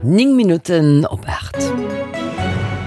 9 Minutten op 8.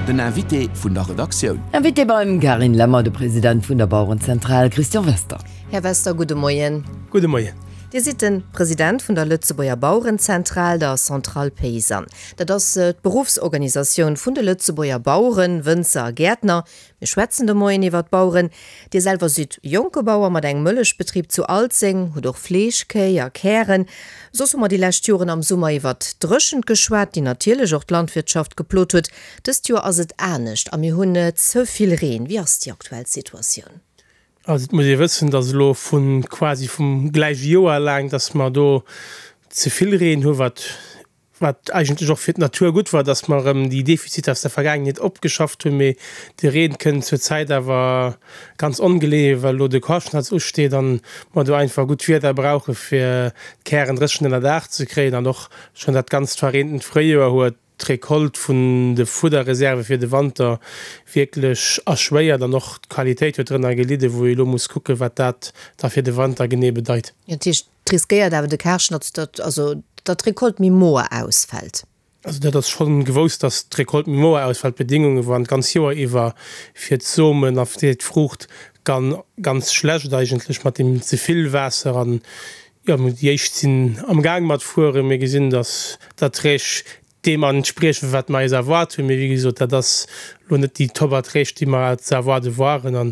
Den Invité vun der Redaktioun. Invité beim Carine Lemmer, de President vun der Bauerenzentral Christian Wester. Här Wester, gudde Moien. Gudde Moien. Dir sidd de President vun der Lëtzebuerger Bauerenzentral, der Centrale Paysanne. Dat ass d'Beruffsorganisatioun vun de Lëtzebuerger Baueren, Wënzer a Gäertner. Mir schwätzen de Moien iwwer d'Baueren. Dir selwer sidd jonke Bauer mat engem Mëllechbetrib zu Alzeng, hutt och Fleeschkéi a Kären. Soss hu mer déi lescht Joren am Summer iwwert d'Dréchent geschwat, déi natierlech och d'Landwirtschaft geplot huet. Dëst Joer ass et anescht a mir hunn ze vill Reen. Wéi ass déi aktuell Situatioun? Also et muss ee wëssen, datt elo vu quasi vum gläiche Joer laang, datt mer do ze vill Reen hu wat Wat eigentlech och fir d'Natur gutt war, dass mer erëm déi Defiziter aus der Vergaangenheet opgeschafft hunn. Mee de Reen kënnt zur Zäit awer ganz ongeleeë, well elo de Karschnatz usteet an mer do einfach gutt Wieder brauche fir d'Kären dréchen ënnerdaach ze kréien. An och schonn dat ganzt verreentent Fréijoer huet d'Recolte vun de Fudderreserve fir de Wanter wierklech erschwéiert an och d'Qualitéit huet drënner gelidden, wou ee elo muss kucken, wat dat da fir de Wanter genee bedeit. Dat heescht, Et riskéiert awer de Karschnatz, datt also datt d'Recolte méi moer ausfält. Also dat ass schonn gewousst, datt d'Recolte méi moer ausfält. D'Bedingunge waren d'ganz Joer iwwer fir d'Somen a fir d'Fruucht ganz schlecht eigentlech mat deem ze vill Waasser. An jo, déi éischt sinn am Gaang mat fueren. Mir gesinn, datt d'Erträg deem entspriechen, wat mer eis erwaart hunn. Mee wéi gesot, dat ass elo net déi Top-Erträg, déi mer ze erwaarde waren. A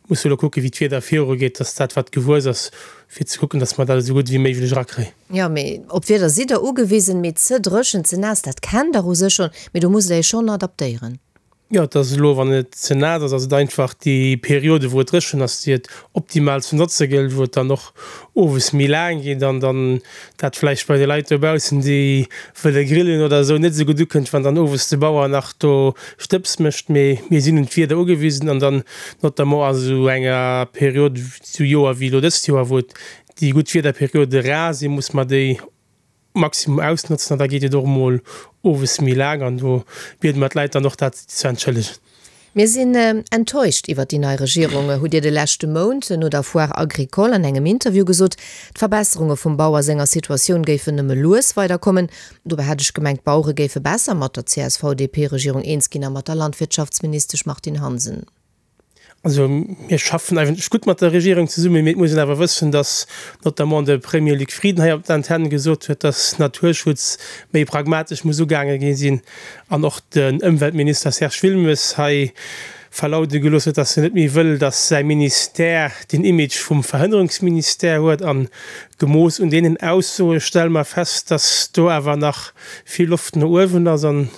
musse elo kucken, wéi d'Wieder virugeet, dass dat, wat gewuess ass, fir ze kucken, dass mer dat esou gutt wéi méiglech erakréien. Jo, mee op d'Wieder sidd Der ugewisen. Mee ze dréchen, ze naass, dat kennt Der u sech schonn. Mee do musst Der Iech schonn adaptéieren. Jo, et ass elo, wann et ze naass ass, ass et einfach déi Periode wou et dréchen ass, déi et optimal ze notze gëllt, wou et dann och owes méi laang geet an dann dat vläicht bei de Leit dobaussen, déi wëlle grillen oder esou, net esou gutt ukënnt, wann dann owes de Bauer nach do Stëbs mécht. Mee mir sinn un d'Wieder ugewisen an dann notamment a sou enger Period, sou Joer wéi elo dëst Joer, wou et déi gutt Wiederperiode rar sinn, muss mer déi Maximum ausnotzen an da geet et och emol owes méi laang an do biede mer d'Leit dann och dat ze entschëllegen. Mir sinn enttäuscht iwwer déi nei Regierung, hutt Dir de leschte Mount no der Foire Agricole an engem Interview gesot. D'Verbesserunge vum Bauer senger Situatioun géifen nëmme lues weiderkommen. Dobäi hat ech gemengt, d'Bauere géife besser mat der CSV-DP-Regierung eens ginn a mat der Landwirtschaftsministesch Martine Hansen. Also mir schaffen eigentlech gutt mat der Regierung zesummen, mee et muss een awer wëssen, datt notamment de Premier Luc Frieden hei op der Antenn gesot huet, datt Naturschutz méi pragmatesch muss ugaange gi sinn an och den Ëmweltminister Serge Wilmes hei verlaude gelooss huet, datt en net méi wëll, datt säi Ministère den Image vum Verhënnerungsministère huet. A gemooss un deenen Aussoe stelle mer fest, datt do awer nach vill Loft no uewen ass an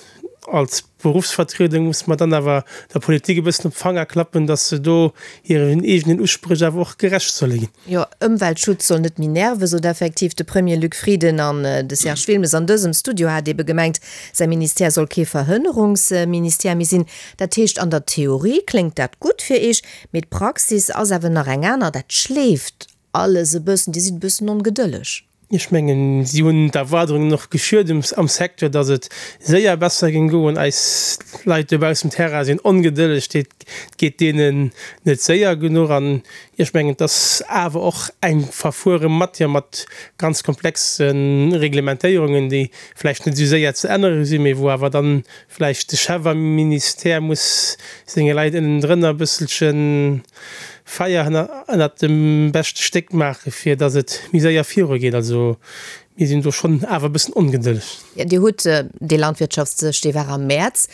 als Beruffsvertriedung muss mer dann awer der Politik e bëssen op d'Fanger klappen, dass se do hiren eegenen Uspréch awer och gerecht solle ginn. Jo, Ëmweltschutz soll net méi nerven, sot effektiv de Premier Luc Frieden. An de Serge Wilmes an dësem Studio hat ebe gemengt, säi Ministère soll kee Verhënnerungsministère méi sinn. Dat heescht, an der Theorie kléngt dat gutt fir Iech, mee d'Praxis ass awer nach eng aner. Dat schleeft alles e bëssen. Dir sidd e bëssen ongedëlleg. Ech mengen, si hunn d'Erwaardungen och geschürt am Secteur, datt et séier besser géing goen. Eis Leit dobaussen um Terrain sinn ongedëlleg, et geet deenen net séier genuch. An ech mengen, et ass awer och eng verfuere Matière mat ganz komplexe Reglementéierungen, déi vläicht net esou séier ze ännere sinn, mee wou awer dann vläicht de Chef am Ministère muss senge Leit ënnendrënner e bësselche Feier ënnert dem beschte Stéck maache fir datt et méi séier viru geet. Also mir sinn do schonn awer e bëssen ongedëlleg. Jo, Dir hutt dee Landwirtschaftsdësch, dee war am Mäerz,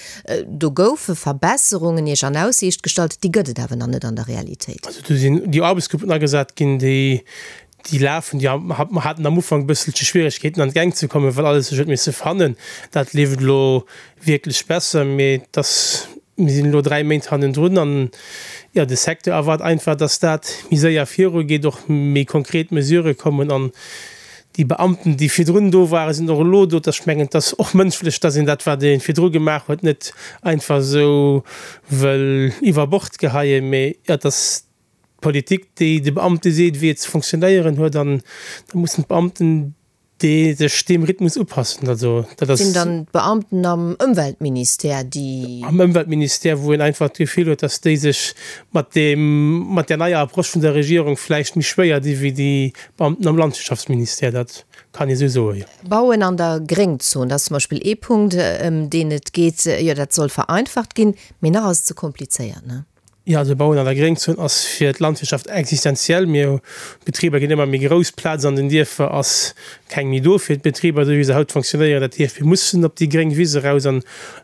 do goufe Verbesserungen Iech an Aussiicht gestallt, déi gëtt et awer nach net an der Realitéit. Also do sinn déi Aarbechtsgruppen agesat ginn, déi déi lafen. Déi haten am Ufank e bësselche Schwieregkeeten an d'Gäng ze kommen, well alles sech huet misse fannen. Dat leeft elo wierklech besser, mee et ass, mir sinn elo 3 Méint hannendrun an, jo, de Secteur erwaart einfach, dass dat méi séier virugeet, och méi konkret Mesurë kommen an déi Beamten, déi virdrun do waren, sinn och elo do. Ech mengen, et ass och mënschlech, dass een dat, wat ee virdru gemaach huet, net einfach esou wëll iwwer Bord geheien, mee jo, et ass d'Politik, déi de Beamte seet, wéi et ze fonctionnéieren huet an da mussen d'Beamten. Déi sech deem Rhythmus upassen. Also dat ass. Sinn dann d'Beamten am Ëmweltministère, déi. Am Ëmweltministère, wou een einfach d'Gefill huet, datt déi sech mat deem, mat där neier Approche vun der Regierung vläicht méi schwéier di wéi déi Beamten am Landwirtschaftsministère. Dat kann ee sou soen, jo. Bauen an der Gréngzon, dat ass zum Beispill ee Punkt, ëm deen et geet. Jo, dat soll vereinfacht ginn, mee nach ass et ze komplizéiert, ne? Jo, also Bauen an der Gréngzon ass fir d'Landwirtschaft existenziell. Mir, d'Betriber ginn ëmmer méi grouss, d'Plaz an den Dierfer ass keng méi do fir d'Betriber, esou wéi se haut fonctionnéieren. Dat heescht, mir mussen op déi gréng Wiss eraus an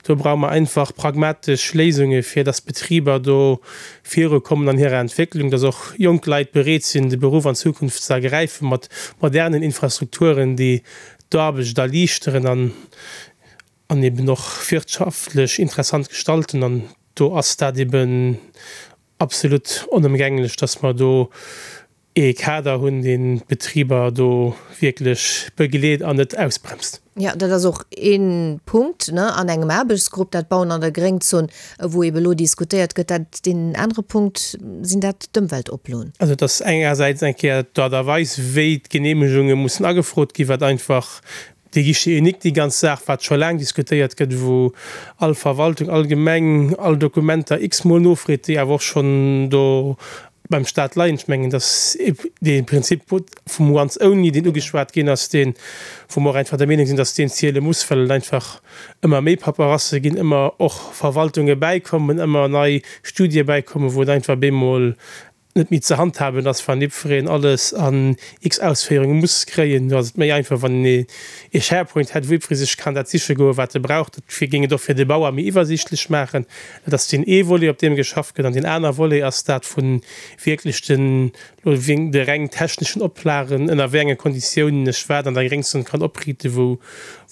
do brauche mer einfach pragmatesch Léisunge fir dass d'Betriber do virukommen an hirer Entwécklung, dass och jonk Leit bereet sinn, de Beruff an Zukunft ze ergräifen, mat modernen Infrastrukturen, déi d'Aarbecht erliichteren an an eben och wirtschaftlech interessant gestalten. An do ass dat eben absolut onëmgänglech, dass mer do ee Kader hunn, deen d'Betriber do wierklech begleet an net ausbremst. Jo, dat ass och ee Punkt, ne, an engem Aarbechtsgrupp, dat Bauen an der Gréngzon, wou ebe elo diskutéiert gëtt. Dat, deen anere Punkt sinn dat d'Ëmweltoploen. Also et ass engersäits eng Kéier d'Aart a Weis, wéi d'Genehmegunge mussen agefrot ginn, wat einfach Dee Guichet unique, déi ganz Saach, wat scho laang diskutéiert gëtt, wou all Verwaltung, all Gemeng all Dokumenter x-mol nofreet, déi awer och schonn do beim Stat leien. Ech mengen, dass dee Prinzip vum once only, deen ugeschwat ginn ass, deen, wou mer och einfach der Meenung sinn, dass deen ziele muss, well et einfach ëmmer méi Paperasse ginn, ëmmer och Verwaltunge bäikommen, ëmmer nei Studie bäikommen, wou et einfach bemol net méi ze handhaben ass, wann jiddwereen alles an x Ausféierunge muss kréien. Do ass et méi einfach, wann een ee Sharepoint hätt, wou jiddweree sech kann dat siche goen, wat e brauch. Dat géing et och fir de Bauer méi iwwersiichtlech maachen. Dat ass deen ee Volet, op deem geschafft gëtt. An deen aner Volet ass dat vu wierklech den, elo de reng techneschen Oplagen, ënner wéi enge Konditiounen ech wat an der Gréngzon kann opriiten, wou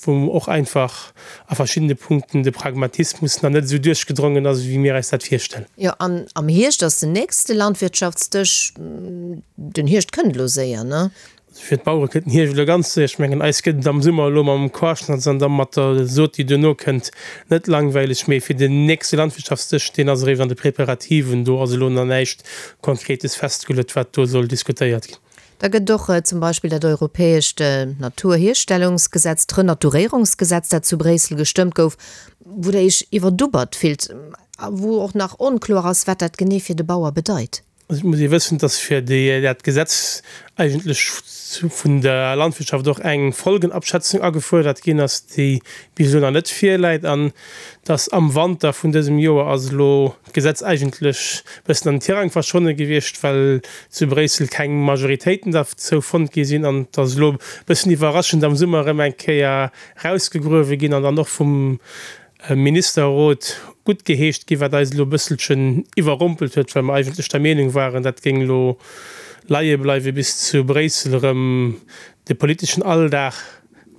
wou och einfach a verschiddene Punkten de Pragmatismus nach net esou duerchgedrongen ass, wéi mir eis dat virstellen. Jo, an am Hierscht ass den nächste Landwirtschaftsdësch. Den Hierscht kënnt elo séier, ne? Also fir d'Bauere kënnt den Hierscht elo ganz séier. Ech mengen, eis gëtt et am Summer elo mam Quarschnatz an da mat der Sot, déi duerno kënnt, net langweileg. Mee fir den nächste Landwirtschaftsdësch, deen ass eréischt an de Preparativen, do ass elo nach näischt Konkretes festgeluet, wat do soll diskutéiert ginn. Da gëtt och zum Beispill dat europäescht Naturhierstellungsgesetz, d'Renaturéierungsgesetz, dat zu Bréissel gestëmmt gouf, wou Der Iech iwwerdubbert fillt a wou och nach onkloer ass, wat dat genee fir de Bauer bedeit. Also et muss ee wëssen, dass fir dat Gesetz eigentlech vun der Landwirtschaft och eng Folgenabschätzung agefuerdert ginn ass, déi bis elo nach net virläit, an dass am Wanter vun dësem Joer ass elo d'Gesetz eigentlech bëssen an den Tirang verschwonne gewiescht, well zu Bréissel keng Majoritéiten derzou fonnt gi sinn an et ass elo bëssen iwwerraschend am Summer erëm eng Kéier rausgegruewe ginn an dann och vum Ministerrot guttgeheescht gi, wat eis elo e bësselchen iwwerrompelt huet, well mer eigentlech der Meenung waren, dat géing elo leie bleiwe bis zu Bréissel erëm de politeschen Alldag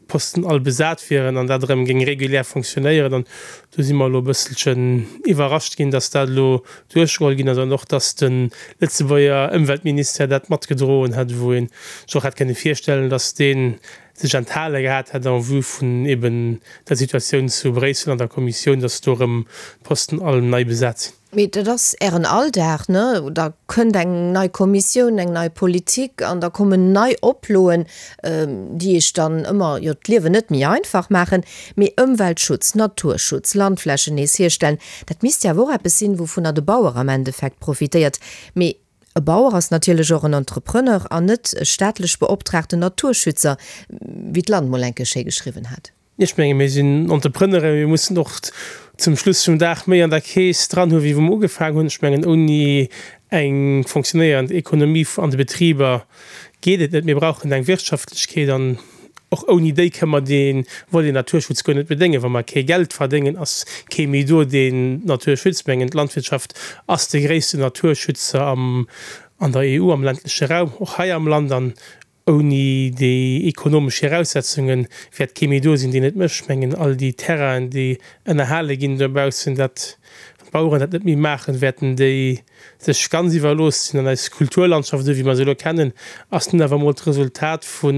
d'Posten all besat wieren an dat erëm géing regulär fonctionnéieren. An do si mer elo e bësselchen iwwerrascht ginn, dass dat elo duerchgeholl ginn ass an och, dass de Lëtzebuerger Ëmweltministère dat matgedroen hätt, wou ee sech och hätt kënne virstellen, dass dee sech enthale gehat hätt en vue vun eben der Situatioun zu Bréissel an der Kommissioun, dass do erëm d'Posten all nei besat sinn. Mee dat ass Ären Alldag, ne? Da kënnt eng nei Kommissioun, eng nei Politik an da kommen nei Oploen, déi Iech dann ëmmer, jo, d'Liewen net méi einfach maachen. Mee Ëmweltschutz, Naturschutz, Landflächen nees hierstellen, dat misst jo awer och eppes sinn, wouvunner de Bauer am Endeffekt profitéiert. Mee e Bauer ass natierlech och en Entrepreneur an net e staatlech beoptraagten Naturschützer, wéi d'Land mol eng Kéier schéi geschriwwen hat. Ech menge mir sinn Entrepreneuren, mir mussen och zum Schluss vum Dag méi an der Keess dran hu wéi wou mer ugefaangen hunn. Ech mengen ouni eng fonctionnéierend Ekonomie an de Betriber geet et net. Mir brauchen eng Wirtschaftlechkeet an och ouni déi kënne mer dee Volet Naturschutz guer net bedéngen. Wa mer kee Geld verdéngen, ass kee méi do deen d'Natur schützt. Ech mengen d'Landwirtschaft ass de gréissten Naturschützer am an der EU, am ländleche Raum, och hei am Land. An Ouni déi ekonomesch Viraussetzunge wäert kee méi do sinn, deen et mécht. Ech mengen, all déi Terrainen, déi ënnerhale ginn dobaussen, dat, wann d'Baueren dat net méi maachen, wäerten déi sech ganz iwwerlooss sinn. An eis Kulturlandschaft, esou wéi mer se elo kennen, ass nun awer emol d'Resultat vu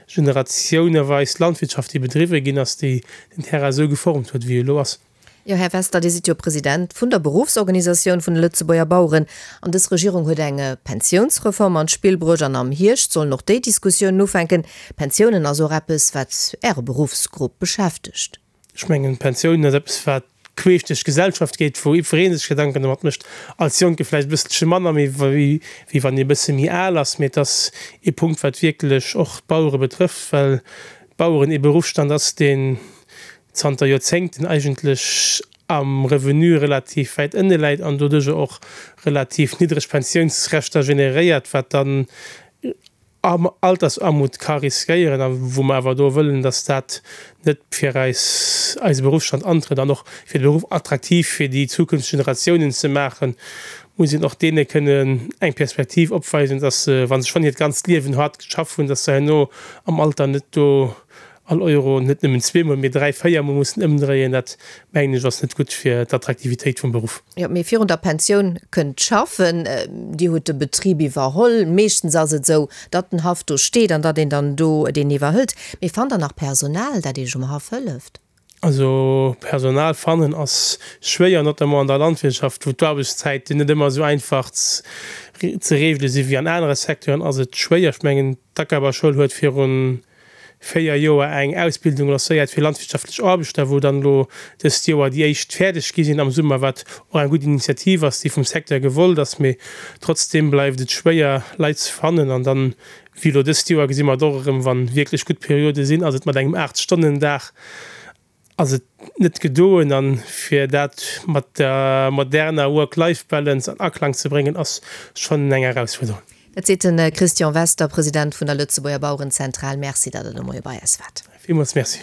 generatiouneweis Landwirtschaft, déi bedriwwe ginn ass, déi den Terrain esou geformt huet, wéi e elo ass. Jo, Här Wester, Dir sidd jo President vun der Beruffsorganisatioun vun de Lëtzebuerger Baueren. An dës Regierung huet eng Pensiounsreform an d'Spill bruecht an am Hierscht sollen och déi Diskussiounen ufänken. Pensiounen ass och eppes, wat Äre Beruffsgrupp beschäftegt. Ech mengen, Pensiounen ass eppes, wat queesch duerch d'Gesellschaft geet, wou jiddweree sech Gedanken domat mécht. Als Jonke vläicht e bësselche manner, méi wéi wann ee e bësse méi al ass. Mee et ass ee Punkt, wat wierklech och d'Bauere betrëfft, well d'Baueren ee Beruffsstand ass, deen zanter Joerzéngten eigentlech am Revenu relativ wäit ënne läit an doduercher och relativ niddreg Pensiounsrechter generéiert, wat dann Altersarmut ka riskéieren a wou mer awer do wëllen, dass dat net fir eis eise Beruffsstand antrëtt an och fir de Beruff attraktiv fir déi zukünfteg Generatiounen ze maachen, muss een och deene kënnen eng Perspektiv opweisen, dass se, wa se schonn hiert ganzt Liewen hart geschafft hunn, dass se herno am Alter net do all Euro net nëmmen zweemol, mee dräi-, véiermol mussen ëmdréien, dat mengen ech ass net gutt fir d'Attraktivitéit vum Beruff. Jo, mee virun der Pensioun kënnt d'Schaffen. Dir hutt de Betrib iwwerholl. Meeschtens ass et esou, datt den Haff do steet an datt een dann do deen iwwerhëlt. Mee fannt Der nach Personal, dat Iech um Haff hëlleft? Also Personal fannen ass schwéier, notamment an der Landwirtschaft, wou d'Aarbechtszäiten net ëmmer esou einfach ze reegele si wéi an anere Secteuren, ass et schwéier. Ech mengen, d'Ackerbauschoul huet virun 4 Joer eng Ausbildung lancéiert fir landwirtschaftlech Aarbechter, wou dann elo dëst Joer déi éischt fäerdeg gi sinn am Summer, wat och eng gutt Initiativ ass, déi vum Secteur gewollt ass. Mee trotzdeem bleift et schwéier, Leit ze fannen. An dann, wéi elo dëst Joer, gesi mer et och erëm, wa wierklech gutt Periode sinn, ass et mat engem Aacht-Stonnen-Dag ass et net gedoen. An fir dat mat der moderner Work-Life-Balance an Aklang ze bréngen, ass schonn eng Erausfuerderung. Dat seet de Christian Wester, President vun der Lëtzebuerger Bauerenzentral. Merci, datt Der de Moie bei eis waart. Villmools Merci.